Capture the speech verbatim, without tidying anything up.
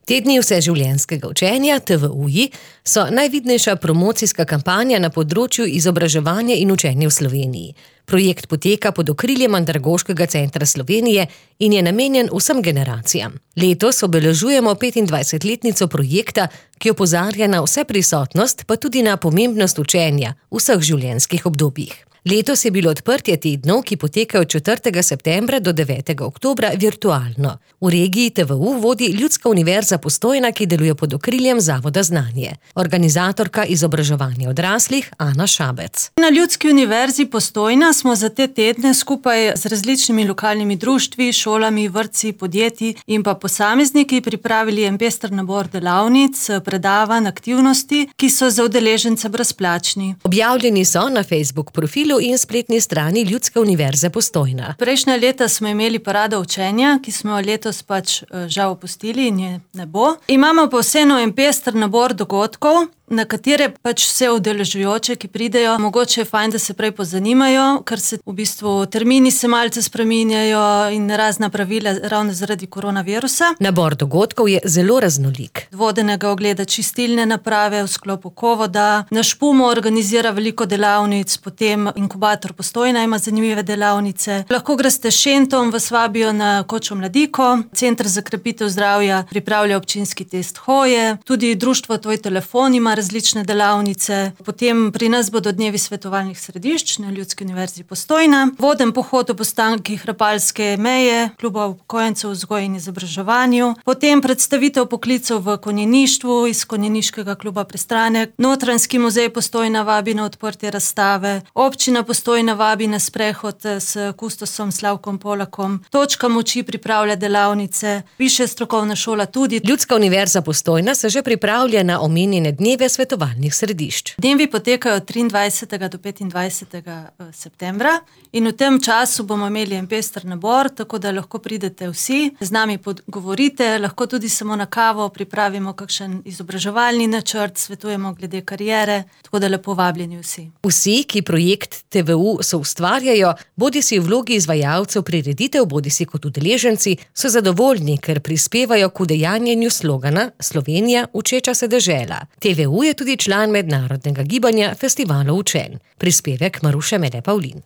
Tedni vseživljenjskega učenja, T V U-ji, so najvidnejša promocijska kampanja na področju izobraževanja in učenja v Sloveniji. Projekt poteka pod okriljem Andragoškega centra Slovenije in je namenjen vsem generacijam. Letos obeležujemo petindvajsetletnico projekta, ki opozarja na vseprisotnost, pa tudi na pomembnost učenja v vseh življenjskih obdobjih. Letos je bilo odprtje tednov, ki potekajo od četrtega septembra do devetega oktobra, virtualno. V regiji T V U vodi Ljudska univerza Postojna, ki deluje pod okriljem Zavoda Znanje. Organizatorka izobraževanja odraslih Ana Šabec. Na Ljudski univerzi Postojna smo za te tedne skupaj z različnimi lokalnimi društvi, šolami, vrtci, podjetji in pa posamezniki pripravili en pester nabor delavnic, predavanj, aktivnosti, ki so za udeležence brezplačni. Objavljeni so na Facebook profilu in spletni strani Ljudske univerze Postojna. Prejšnja leta smo imeli parado učenja, ki smo jo letos pač žal opustili in je ne bo. Imamo pa vseeno en pester nabor dogodkov, na katere pač vse udeležujoče, ki pridejo, mogoče je fajn, da se prej pozanimajo, ker se v bistvu termini se malce spreminjajo in razna pravila ravno zaradi koronavirusa. Nabor dogodkov je zelo raznolik. Vodenega ogleda čistilne naprave v sklopu Kovoda, naš Pumo organizira veliko delavnic, potem inkubator Postojna ima zanimive delavnice. Lahko greste s Šentom, vas vabijo na Kočo Mladiko, Center za krepitev zdravja pripravlja občinski test hoje, tudi društvo Tvoj telefon ima različne delavnice. Potem pri nas bodo dnevi svetovalnih središč na Ljudski univerzi Postojna, voden pohod ob ostankih Rapalske meje, kluba upokojencev v vzgoji in izobraževanju, potem predstavitev poklicev v konjeništvu iz konjeniškega kluba Pristranek, Notranjski muzej Postojna vabi na odprtje razstave, občina Postojna vabi na sprehod s kustosom Slavkom Polakom, Točka moči pripravlja delavnice, piše strokovna šola tudi. Ljudska univerza Postojna se že pripravlja na omenjene dneve svetovalnih središč. Dnevi potekajo od triindvajsetega do petindvajsetega septembra in v tem času bomo imeli en pester nabor, tako da lahko pridete vsi, z nami pogovorite, lahko tudi samo na kavo, pripravimo kakšen izobraževalni načrt, svetujemo glede kariere, tako da lepo vabljeni vsi. Vsi, ki projekt T V U soustvarjajo, bodisi v vlogi izvajalcev prireditev, bodisi kot udeleženci, so zadovoljni, ker prispevajo k udejanjenju slogana Slovenija učeča se dežela. T V U je tudi član mednarodnega gibanja Festivalov učenj. Prispevek Maruše Mede Pavlin.